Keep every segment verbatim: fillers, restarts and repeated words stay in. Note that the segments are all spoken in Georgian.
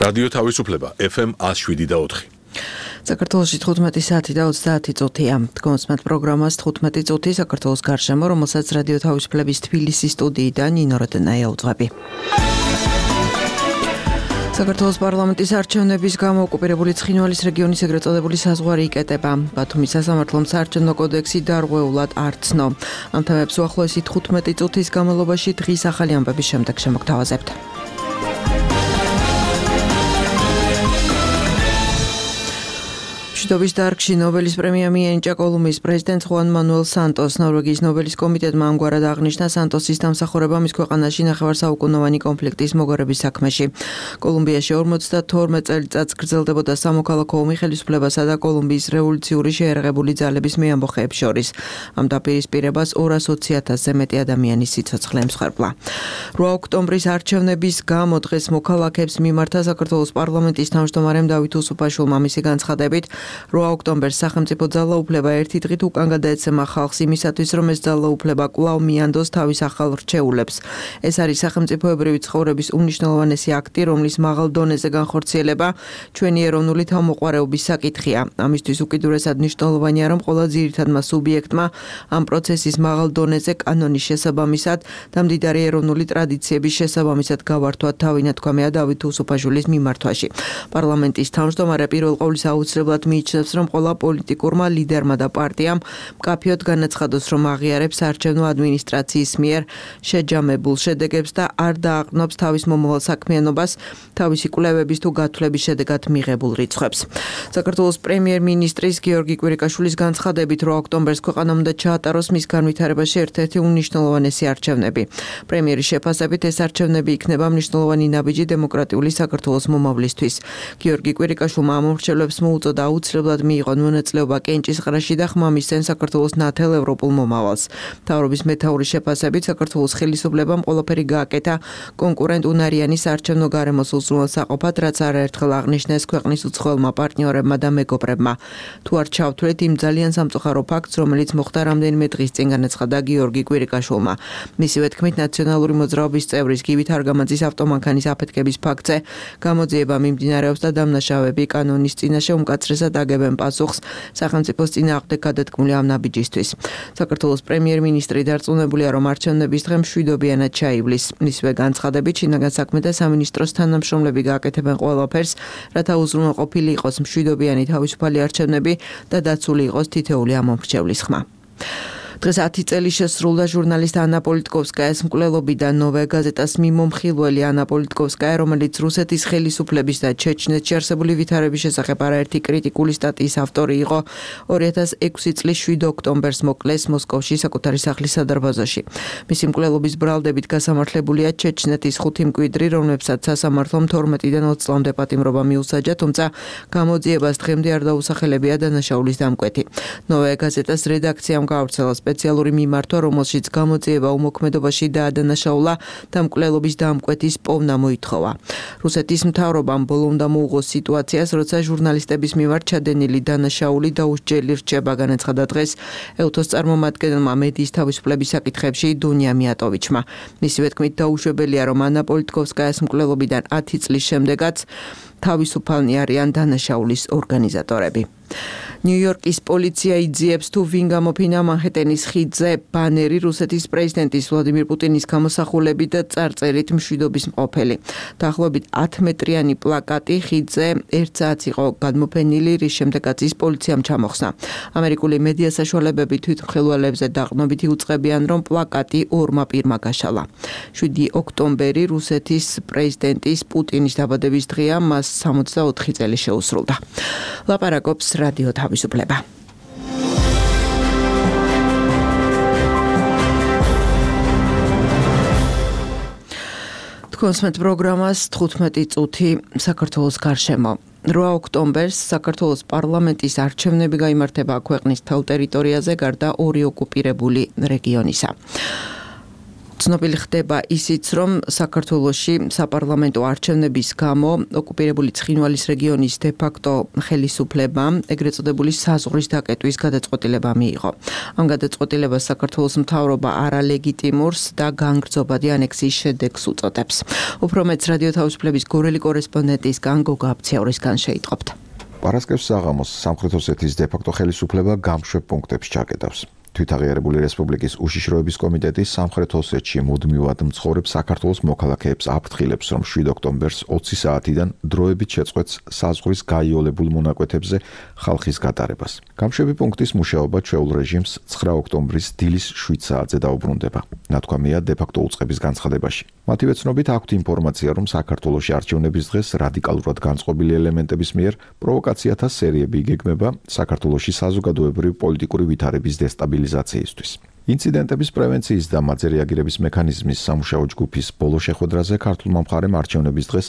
რადიო თავისუფლება ეფ ემ ათს შვიდი და ოთხი. საქართველოში თხუთმეტი საათი და ოცდაათი წუთია. Დგომსმენთ პროგრამას თხუთმეტი წუთი საქართველოს გარშემო, რომელსაც რადიო თავისუფლების თბილისის სტუდიიდან ნინო როდენაია უძღვები. საქართველოს პარლამენტის არჩევნების გამო ოკუპირებული ცხინვალის რეგიონის ეგრეთ წოდებული საზღვარი იკეტება. ბათუმის სასამართლომ საარჩევნო კოდექსი დარღვეულად არ ცნო. ამ თემებს უახლოესი თხუთმეტი წუთის განმავლობაში დღის ახალი ამბების შემდეგ შემოგთავაზებთ. მშვიდობის დარგში ნობელის პრემია მიენიჭა კოლუმბიის პრეზიდენტს ხუან მანუელ სანტოს. ნორვეგიის ნობელის კომიტეტმა ამგვარად აღნიშნა სანტოსის დამსახურება მის ქვეყანაში ნახევარსაუკუნოვანი კონფლიქტის მოგარების საქმეში. კოლუმბიაში ორმოცდათორმეტ წელიწადს გრძელდებოდა სამოქალაქო ომი ხელისუფლებასა და კოლუმბიის რევოლუციური შეერაღებული ძალების მეამბოხეებს შორის. ამ დაპირისპირებას ორას ოცი ათასზე მეტი ადამიანის სიცოცხლე ემსხვერპლა. რვა ოქტომბრის არჩევნების გამო დღეს მოქალაქეებს მიმართა საქართველოს პარლამენტის თავმჯდომარემ დავით უსუფაშვილმა. მისი განცხადებით რვა ოქტომბერს სახელმწიფო ძალაუფლება ერთი დღით უკან გადაეცემა ხალხს იმისათვის, რომ ეს ძალაუფლება კვლავ მიანდოს თავის ახალ რჩეულებს. ეს არის სახელმწიფოებრივი ცხოვრების უმნიშვნელოვანესი აქტი, რომლის მაღალ დონეზე განხორციელება ჩვენი ეროვნული თავმოყვარეობის საკითხია. ამისთვის უკიდურესად მნიშვნელოვანია, რომ ყველა ძირითადმა სუბიექტმა ამ პროცესის მაღალ დონეზე კანონის შესაბამისად და მდიდარი ეროვნული ტრადიციების შესაბამისად გავართვათ თავინათქვამია დავით უსუფაშვილის მიმართვაში. პარლამენტის თავმჯდომარე პირველ ყოვლისა აუცილებლად მიიჩნევს, რომ ყველა პოლიტიკურმა ლიდერმა და პარტიამ მკაფიოდ განაცხადოს, რომ აღიარებს საარჩევნო ადმინისტრაციის მიერ შეჯამებულ შედეგებს და არ დააყრდნობს თავის მომავალ საქმიანობას თავისი კვლევების თუ გათვლების შედეგად მიღებულ რიცხვებს. საქართველოს პრემიერ-მინისტრის გიორგი კვირიკაშვილის განცხადებით რვა ოქტომბერს ქვეყანამ უნდა ჩაატაროს მის განვითარებაში ერთ-ერთი უმნიშვნელოვანესი არჩევნები. პრემიერის შეფასებით ეს არჩევნები იქნება მნიშვნელოვანი ნაბიჯი დემოკრატიული საქართველოს მომავლისთვის. გიორგი კვირიკაშვილმა ამ მომრჩევლებს მოუწოდა აუცილებლად მიიღონ მონაწილეობა კენჭისყრაში და ხმამისცენ საქართველოს ნათელ ევროპულ მომავალს. მთავრობის მეთაურის შეფასებით საქართველოს ხელისუფლებამ ყველაფერი გააკეთა კონკურენტ უნარიანი საარჩევნო გარემოს უზრუნველსაყოფად, რაც არაერთხელ აღნიშნეს ქვეყნის უცხოელმა პარტნიორებმა და მეგობრებმა. თუ არ ჩავთვლით იმ ძალიან სამწუხარო ფაქტს, რომელიც მოხდა რამდენიმე დღის წინ, განაცხადა გიორგი კვირიკაშვილმა. მისივე თქმით, ნაციონალური მოძრაობის წევრის გივით არგამაძის ავტომანქანის აფეთქების ფაქტზე გამოძიება მიმდინარეობს და დამნაშავეები კანონის წინაშე უმკაცრესად აგებენ პასუხს სახელმწიფოს წინააღმდეგ გადადგმული ამ ნაბიჯისთვის. საქართველოს პრემიერ-მინისტრი დარწმუნებულია, რომ არჩევნების დღე მშვიდობიანად ჩაივლის. მისივე განცხადებით, შინაგან საქმეთა სამინისტროს თანამშრომლები გააკეთებენ ყველაფერს, რათა უზრუნველყოფილი იყოს მშვიდობიანი თავისუფალი არჩევნები და დაცული იყოს თითოეული ამომრჩევლის ხმა. დღეს ათი წელი შესრულდა ჟურნალისტ ანა პოლიტკოვსკაიას მკვლელობიდან. ნოვაია გაზეტას მიმომხილველი ანა პოლიტკოვსკაია, რომელიც რუსეთის ხელისუფლების და ჩეჩნეთში არსებული ვითარების შესახებ არაერთი კრიტიკული სტატიის ავტორი იყო, ორი ათას ექვსი წლის შვიდ ოქტომბერს მოკლეს მოსკოვში საკუთარი სახლის სადარბაზოში. მისი მკვლელობის ბრალდებით გასამართლებულია ჩეჩნეთის ხუთი მკვიდრი, რომლებსაც სასამართლომ თორმეტიდან ოცი წლამდე პატიმრობა მიუსაჯა, თუმცა გამოძიებას დღემდე არ დაუსახელებია დანაშაულის დამკვეთი. ნოვაია გაზეტას რედაქციამ გაავრცელა სპეციალური მიმართვა, რომელშიც გამოძიება უმოქმედობაში დაადანაშაულა და მკვლელობის დამკვეთის პოვნა მოითხოვა. რუსეთის მთავრობამ ბოლო უნდა მოუღოს სიტუაციას, როცა ჟურნალისტების მიმართ ჩადენილი დანაშაული დაუსჯელი რჩება, განაცხადა დღეს ევთოს წარმომადგენელმა მედიის თავისუფლების საკითხებში დუნია მიატოვიჩმა. მისივე თქმით, დაუშვებელია, რომ ანა პოლიტკოვსკაიას მკვლელობიდან ათი წლის შემდეგაც თავისუფალნი არიან დანაშაულის ორგანიზატორები. ნიუ-იორკის პოლიცია იძიებს, თუ ვინ გამოფინა მანჰეტენის ხიდზე ბანერი რუსეთის პრეზიდენტის ვლადიმირ პუტინის გამოსახულებით და წარწერით მშვიდობის მყოფელი. დაახლოებით ათი მეტრიანი პლაკატი ხიდზე ერთ საათს იყო გადმოფენილი, რის შემდეგაც ის პოლიციამ ჩამოხსნა. ამერიკული მედია საშუალებები თვითმხილველებზე დაყრდნობით იუწყებიან, რომ პლაკატი ორმა პირმა გაშალა. შვიდი ოქტომბერი რუსეთის პრეზიდენტის პუტინის დაბადების დღეა, მას სამოცდაოთხი წელი შეუსრულდა. ლაპარაკობს რადიო თავისუფლება. თხუთმეტ პროგრამას თხუთმეტი წუთი საქართველოს გარშემო. რვა ოქტომბერს საქართველოს პარლამენტის არჩევნები გაიმართება ქვეყნის მთელ ტერიტორიაზე, გარდა ორი ოკუპირებული რეგიონისა. ცნობილი ხდება ისიც, რომ საქართველოში საპარლამენტო არჩევნების გამო ოკუპირებული ცხინვალის რეგიონის დე-ფაქტო ხელისუფლება ეგრეთ წოდებული საზღვრის დაკეტვის გადაწყვეტილება მიიღო. ამ გადაწყვეტილებას საქართველოს მთავრობა არალეგიტიმურს და განგრძობადი ანექსიის შედეგს უწოდებს. უფრო მეც რადიო თავისუფლების გორელი კორესპონდენტისგან გოგა აბციაურისგან შეიტყობთ. პარასკევს საღამოს სამხრეთ ოსეთის დე-ფაქტო ხელისუფლება გამშვებ პუნქტებს ჩაკეტავს. თვითაღიარებული რესპუბლიკის უშიშროების კომიტეტის სამხრეთ ოსეთში მუდმივად მცხოვრებ საქართველოს მოქალაქეებს აფრთხილებს, რომ შვიდ ოქტომბერს ოცი საათიდან დროებით შეწყვეტს საზღვრის გაიოლებულ მონაკვეთებზე ხალხის გატარებას. გამშვები პუნქტის მუშაობა ჩვეულ რეჟიმს ცხრა ოქტომბრის დილის შვიდ საათზე დაუბრუნდება. ნათქვამია დე-ფაქტო უწყების განცხადებაში. მათივე ცნობით აქვთ ინფორმაცია, რომ საქართველოში არჩევნების დღეს რადიკალურად განწყობილი ელემენტების მიერ პროვოკაციათა სერიები იგეგმება საქართველოში საზოგადოებრივი პოლიტიკური ვითარების დესტაბილიზაციისთვის. ინციდენტების პრევენციის და მათზე რეაგირების მექანიზმის სამუშაო ჯგუფის ბოლო შეხვედრაზე ქართულმა მხარემ არჩევნების დღეს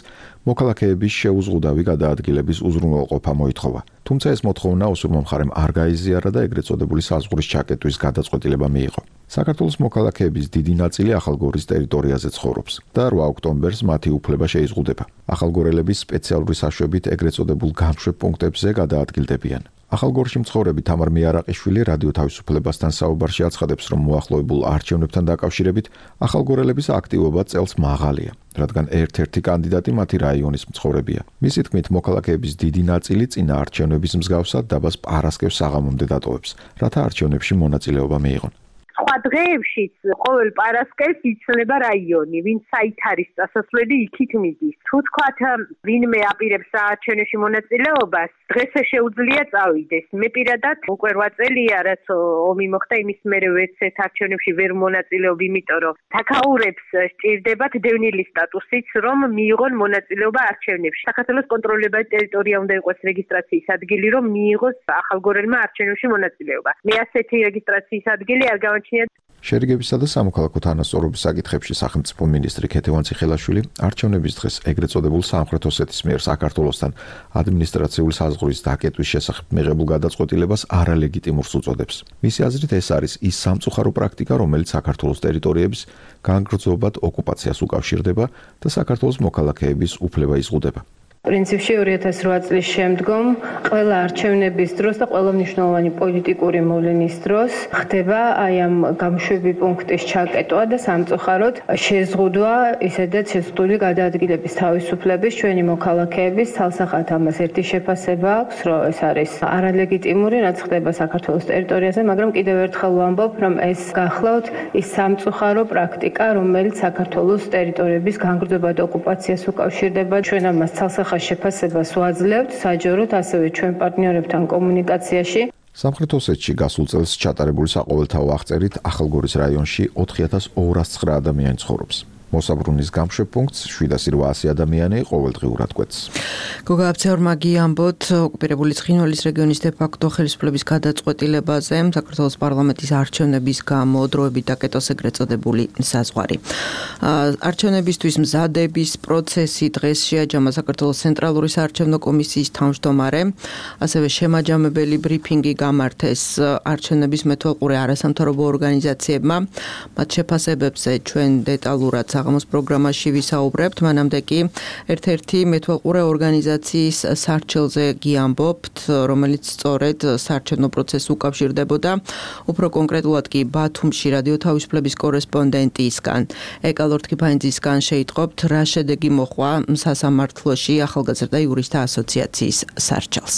მოქალაქეების შეუზღუდავი გადაადგილების უზრუნველყოფა მოითხოვა. თუმცა ეს მოთხოვნა ოსურმა მხარემ არ გაიზიარა და ეგრეთ წოდებული საზღვრის ჩაკეტვის გადაწყვეტილება მიიღო. საქართველოს მოქალაქეების დიდი ნაწილი ახალგორის ტერიტორიაზე ცხოვრობს და რვა ოქტომბერს მათი უფლება შეიზღუდება. ახალგორელების სპეციალური საშვებით ეგრეთ წოდებულ გამშვებ პუნქტებზე გადაადგილდებიან. ახალგორში მცხოვრები თამარ მიარაყიშვილი რადიო თავისუფლებასთან საუბარში აცხადებს, რომ მოახლოებულ არჩევნებთან დაკავშირებით ახალგორელების აქტივობა წელს მაღალია, რადგან ერთ-ერთი კანდიდატი მათი რაიონის მცხოვრებია. მისი თქმით, მოქალაქეების დიდი ნაწილი წინა არჩევნების მსგავსად დაბას პარასკევს საღამომდე დატოვებს, რათა არჩევნებში მონაწილეობა მიიღონ. სხვა დღეებშიც ყოველ პარასკევს იცვლება რაიონი, ვინც საით არის წასასვლელი, იქით მიდის. თუ თქვათ ვინმე აპირებს საარჩევნოში მონაწილეობას, დღეს შეუძლია წავიდეს. მე პირადად უკვე რვა წელია, რაც ომი მოხდა, იმის მერე ვერცერთ არჩევნებში ვერ მონაწილეობ, იმიტომ რომ თაქაურებს სჭირდებათ დევნილი სტატუსიც, რომ მიიღონ მონაწილეობა არჩევნებში. საქართველოს კონტროლებადი ტერიტორია უნდა იყოს რეგისტრაციის ადგილი, რომ მიიღოს ახალგორელმა არჩევნებში მონაწილეობა. მე ასეთი რეგისტრაციის ადგილი არ გავაჩინე. შერიგებისა და სამოქალაქო თანასწორობის საკითხებში სახელმწიფო მინისტრი ქეთევან ციხელაშვილი არჩევნების დღეს ეგრეთ წოდებულ სამხრეთ ოსეთის მიერ საქართველოსთან ადმინისტრაციული საზღვრის დაკეტვის შესახებ მიღებულ გადაწყვეტილებას არალეგიტიმურს უწოდებს. მისი აზრით ეს არის ის სამწუხარო პრაქტიკა, რომელიც საქართველოს ტერიტორიების განგრძობად ოკუპაციას უკავშირდება და საქართველოს მოქალაქეების უფლება იზღუდება. პრინციპში ორი ათას რვა წლის შემდგომ ყველა არჩევნების დროს და ყველა მნიშვნელოვანი პოლიტიკური მოვლენის დროს ხდება აი ამ გამშვები პუნქტის ჩაკეტვა და სამწუხაროდ შეზღუდვა ისედაც შეზღუდული გადაადგილების თავისუფლების ჩვენი მოქალაქეების თალსახად ამას ერთი შეფასება აქვს, რომ ეს არის არალეგიტიმური, რაც ხდება საქართველოს ტერიტორიაზე, მაგრამ კიდევ ერთხელ ვამბობ, რომ ეს გახლავთ ის სამწუხარო პრაქტიკა, რომელიც საქართველოს ტერიტორიების განგრძობად ოკუპაციას უკავშირდება. ჩვენ ამას თალსახად შეფასებას ვაძლევთ საჯაროდ ასევე ჩვენ პარტნიორებთან კომუნიკაციაში. სამხრეთ ოსეთში გასულ წელს ჩატარებული საყოველთაო აღწერით ახალგორის რაიონში ოთხი ათას ორას ცხრა ადამიანი ცხოვრობს. მოსაბრუნის გამშვებ პუნქტს შვიდასი რვაასი ადამიანი ყოველდღიურად კვეთს. გოგა აბციაურმა გიამბოთ ოკუპირებული ცხინვალის რეგიონის დე-ფაქტო ხელისუფლების გადაწყვეტილებაზე საქართველოს პარლამენტის არჩევნების გამო დროებით დაკეტოს ეგრეთ წოდებული საზღვარი. არჩევნებისთვის მზადების პროცესი დღეს შეაჯამა საქართველოს ცენტრალური საარჩევნო კომისიის თავმჯდომარე, ასევე შემაჯამებელი ბრიფინგი გამართეს არჩევნების მეთვალყურე არასამთავრობო ორგანიზაციებმა. მათ შეფასებებზე ჩვენ დეტალურად საღამოს პროგრამაში ვისაუბრებთ, მანამდე კი ერთ-ერთი მეთვალყურე ორგანიზაციის სარჩელზე გიამბობთ, რომელიც სწორედ საარჩევნო პროცესს უკავშირდებოდა, უფრო კონკრეტულად კი ბათუმში რადიო თავისუფლების კორესპონდენტისგან, ეკალორ თქიფანიძისგან შეიტყობთ, რა შედეგი მოჰყვა სასამართლოში ახალგაზრდა იურისტთა ასოციაციის სარჩელს.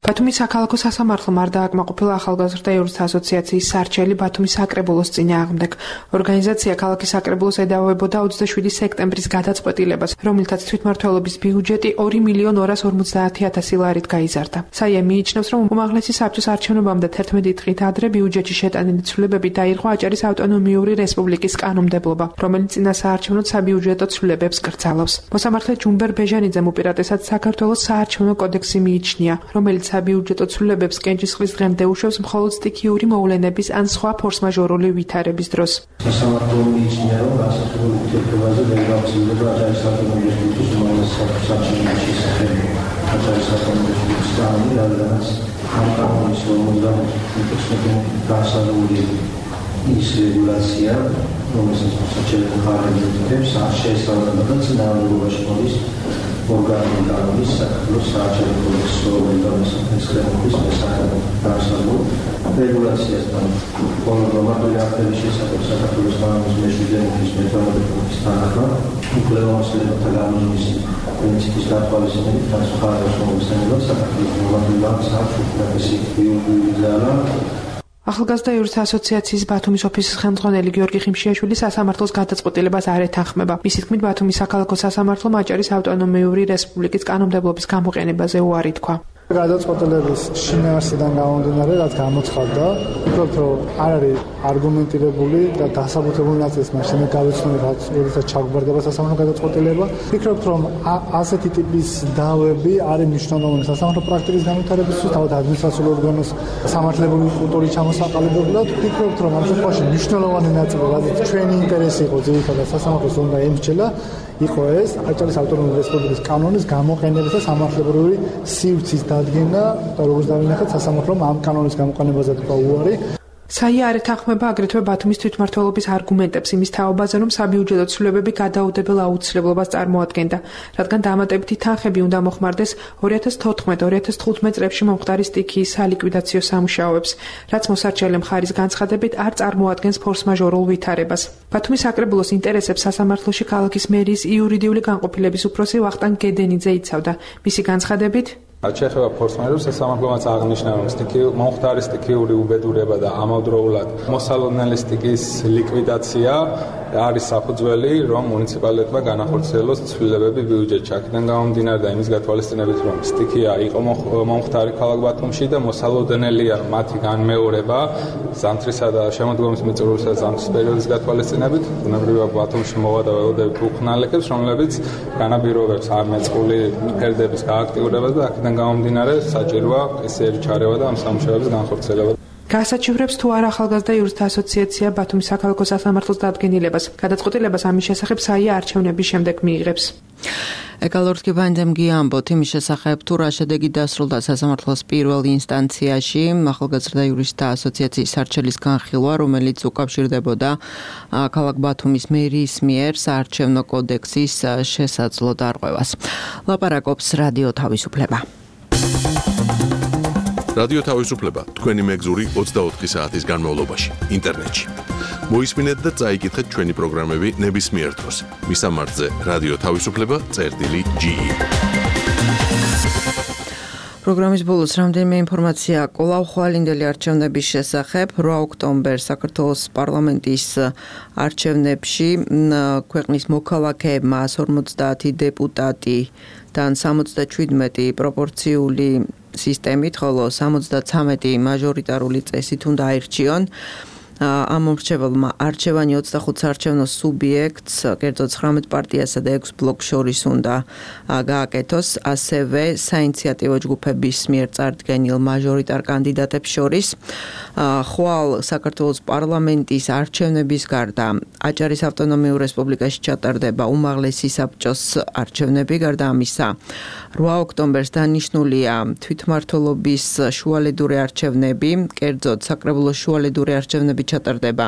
ბათუმის საქალაქო სასამართლომ არ დააკმაყოფილა ახალგაზრდა იურისტთა ასოციაციის სარჩელი ბათუმის საკრებულოს წინააღმდეგ. ორგანიზაცია ქალაქის საკრებულოს ედავებოდა ოცდაშვიდი სექტემბრის გადაწყვეტილებას, რომლითაც თვითმმართველობის ბიუჯეტი ორი მილიონ ორას ორმოცდაათი ათასი ლარით გაიზარდა. საია მიიჩნევს, რომ უმაღლესი საბჭოს არჩევნებამდე თერთმეტი დღით ადრე ბიუჯეტში შეტანილი ცვლილებები დაირღვა აჭარის ავტონომიური რესპუბლიკის კანონმდებლობა, რომელიც წინა საარჩევნო საბიუჯეტო ცვლილებებს კრძალავს. მოსამართლე ჯუმბერ ბეჟანიძემ უპირატესად საქართველოს საარჩევნო კოდექსი მიიჩნია, რომელიც საბიუჯეტო ცვლილებებს კენჭისყრის დღემდე უშვებს მხოლოდ სტიქიური მოვლენების ან სხვა ფორსმაჟორული ვითარების დროს. სასამართლო მიიჩნია, რომ გასართობი ურთიერთობაზე ვერ გავრცელდება აჭარის ავტონომიური რესპუბლიკის უმაღლესი საბჭოს არჩევნების შესახებ. აჭარის ავტონომიური რესპუბლიკის კანონი, რადგანაც ამ კანონის ორმოცდამეტი გასაძლებელი ის რეგულაცია, რომელსაც მოსაჩერებელი ხარები უდიდებს, არ შეესაბამება და წინააღმდეგობაში მოდის ორგანული კანონის საქართველოს საარჩევნო კოდექსის ორგანიზაციის ხელმოხდის მესამე განსაზღვრულ რეგულაციასთან. ყოველ მომავალი აქტების შესახებ საქართველოს კანონის მეშვიდე მუხის მეთორმეტე პუნქტის თანახმად უფლებამოსილებათა განუზომის პრინციპის გათვალისწინებით განსხვავებას მოგვისმენელად საქართველოს მომავალი აქტს აქვს უფლესი იურიდიული ძალა. ახალგაზრდა იურისტთა ასოციაციის ბათუმის ოფისის ხელმძღვანელი გიორგი ხიმშიაშვილი სასამართლოს გადაწყვეტილებას არ ეთანხმება. მისი თქმით, ბათუმის საქალაქო სასამართლომ აჭარის ავტონომიური რესპუბლიკის კანონმდებლობის გამოყენებაზე უარი თქვა. გადაწყვეტილების შინაარსიდან გამომდინარე, რაც გამოცხადდა, ვფიქრობ, რომ არ არის არგუმენტირებული და დასაბუთებული ნაწილს მაშინ გავიცნობთ, როდესაც ჩაგვარდება სასამართლო გადაწყვეტილება. ვფიქრობ, რომ ასეთი ტიპის დავები არის მნიშვნელოვანი სასამართლო პრაქტიკის განვითარებისთვის, თავად ადმინისტრაციულ ორგანოს სამართლებული კულტურის ჩამოსაყალიბებლად. ვფიქრობ, რომ ამ შემთხვევაში მნიშვნელოვანი ნაწილი, რაც ჩვენი ინტერესი იყო, ძირითადად სასამართლოს უნდა ემსჯელა, იყო ეს აჭარის ავტონომიური რესპუბლიკის კანონის გამოყენების და სამართლებრივი სივრცის დადგენა და როგორც დავინახეთ, სასამართლომ ამ კანონის გამოყენებაზე თქვა უარი. საია არ ეთანხმება აგრეთვე ბათუმის თვითმმართველობის არგუმენტებს იმის თაობაზე, რომ საბიუჯეტო ცვლილებები გადაუდებელ აუცილებლობას წარმოადგენდა, რადგან დამატებითი თანხები უნდა მოხმარდეს ორი ათას თოთხმეტ ორი ათას თხუთმეტ წლებში მომხდარი სტიქიის სალიკვიდაციო სამუშაოებს, რაც მოსარჩენელი მხარის განცხადებით არ წარმოადგენს ფორს-მაჟორულ ვითარებას. ბათუმის საკრებულოს ინტერესებს სასამართლოში ქალაქის მერიის იურიდიული განყოფილების უფროსი ვახტანგ გედენიძე იცავდა. მისი განცხადებით რაც შეეხება ფორს-მაჟორს, სასამართლოც აღნიშნა, რომ მომხდარი სტიქიური უბედურება და ამავდროულად მოსალოდნელი სტიქიის ლიკვიდაცია არის საფუძველი, რომ მუნიციპალიტეტმა განახორციელოს ცვლილებები ბიუჯეტში. აქედან გამომდინარე და იმის გათვალისწინებით, რომ სტიქია იყო მომხდარი ქალაქ ბათუმში და მოსალოდნელია მათი განმეორება ზამთრისა და შემოდგომის მიწურულისა და ზამთრის პერიოდის გათვალისწინებით, ბუნებრივია ბათუმში მოვა და ველოდებით უხნალეკებს, რომლებიც განაპირობებს არმეწყული ფერდების გააქტიურებას და აქედან გამომდინარე საჭიროა ესერი ჩარევა და ამ სამუშაოების განხორციელება. გაასაჩივრებს თუ არა ახალგაზრდა იურისტთა ასოციაცია ბათუმის საქალაქო სასამართლოს დადგენილებას. გადაწყვეტილებას ამის შესახებ საია არჩევნების შემდეგ მიიღებს. ეკალორთკი ბანდემგი ამბობთ იმის შესახებ, თუ რა შედეგი დასრულდა სასამართლოს პირველ ინსტანციაში ახალგაზრდა იურისტთა ასოციაციის სარჩელის განხილვა, რომელიც უკავშირდებოდა ქალაქ ბათუმის მერიის მიერ საარჩევნო კოდექსის შესაძლო დარღვევას. ლაპარაკობს რადიო თავისუფლება. რადიო თავისუფლება თქვენი მეგზური ოცდაოთხი საათის განმავლობაში ინტერნეტში. მოისმინეთ და წაიკითხეთ ჩვენი პროგრამები ნებისმიერ დროს. მისამართზე რადიო თავისუფლება წერტილი ჯი. პროგრამის ბოლოს რამდენიმე ინფორმაცია კვლავ ხვალინდელი არჩევნების შესახებ. რვა ოქტომბერს საქართველოს პარლამენტის არჩევნებში ქვეყნის მოქალაქეებმა εκατს ორმოცდაათი დეპუტატიდან სამოცდაჩვიდმეტი პროპორციული სისტემით, ხოლო სამოცდაცამეტი მაჟორიტარული წესით უნდა აირჩიონ. ამ მომრჩეველმა არჩევანი ოცდახუთ საარჩევნო სუბიექტს, კერძოდ ცხრამეტ პარტიასა და ექვს ბლოკს შორის უნდა გააკეთოს, ასევე საინიციატივო ჯგუფების მიერ წარდგენილ მაჟორიტარ კანდიდატებს შორის. ხვალ საქართველოს პარლამენტის არჩევნების გარდა აჭარის ავტონომიურ რესპუბლიკაში ჩატარდება უმაღლესი საბჭოს არჩევნები. გარდა ამისა, რვა ოქტომბერს დანიშნულია თვითმმართველობის შუალედური არჩევნები, კერძოდ საკრებულოს შუალედური არჩევნები ჩატარდება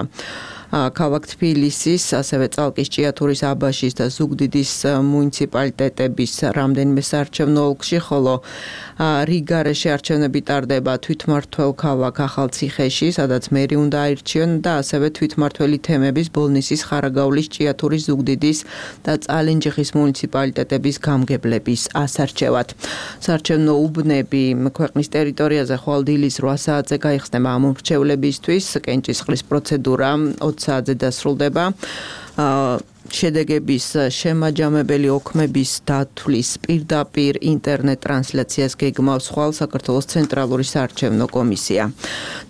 ქალაქ თბილისის, ასევე წალკის, ჭიათურის, აბაშის და ზუგდიდის მუნიციპალიტეტების რამდენიმე საარჩევნო ოლქში, ხოლო რიგარეში არჩევნები ტარდება თვითმმართველ ქალაქ ახალციხეში, სადაც მერი უნდა აირჩიონ და ასევე თვითმმართველი თემების ბოლნისის, ხარაგაულის, ჭიათურის, ზუგდიდის და წალენჯიხის მუნიციპალიტეტების გამგებლების ასარჩევად. საარჩევნო უბნები ქვეყნის ტერიტორიაზე ხვალ დილის რვა საათზე გაიხსნება ამ მომრჩევლებისთვის. კენჭისყრის პროცედურა ოც საათზე დასრულდება. შედეგების შემაჯამებელი ოქმების დათვლის პირდაპირ ინტერნეტ ტრანსლაციას გეგმავს ხვალ საქართველოს ცენტრალური საარჩევნო კომისია.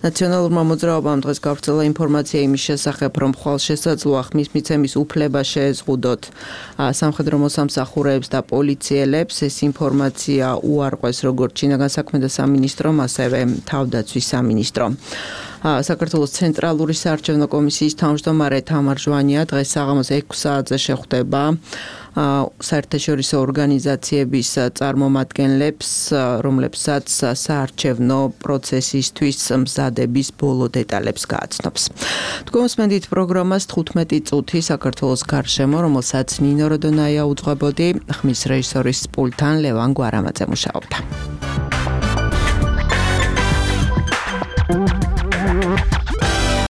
ნაციონალურმა მოძრაობამ დღეს გავრცელა ინფორმაცია იმის შესახებ, რომ ხვალ შესაძლოა ხმის მიცემის უფლება შეეზღუდოთ სამხედრო მოსამსახურეებს და პოლიციელებს. ეს ინფორმაცია უარყვეს როგორც შინაგან საქმეთა სამინისტრომ, ასევე თავდაცვის სამინისტრომ. საქართველოს ცენტრალური საარჩევნო კომისიის თავმჯდომარე თამარ ჟვანია დღეს საღამოს ექვსი საათზე შეხვდება საერთაშორისო ორგანიზაციების წარმომადგენლებს, რომლებსაც საარჩევნო პროცესისთვის მზადების ბოლო დეტალებს გააცნობს. თქვენსმენდით პროგრამას თხუთმეტი წუთი საქართველოს გარშემო, რომელსაც ნინო როდონაია უძღვებოდი, ხმის რეჟისორის პულტთან ლევან გვარამაძე მუშაობდა.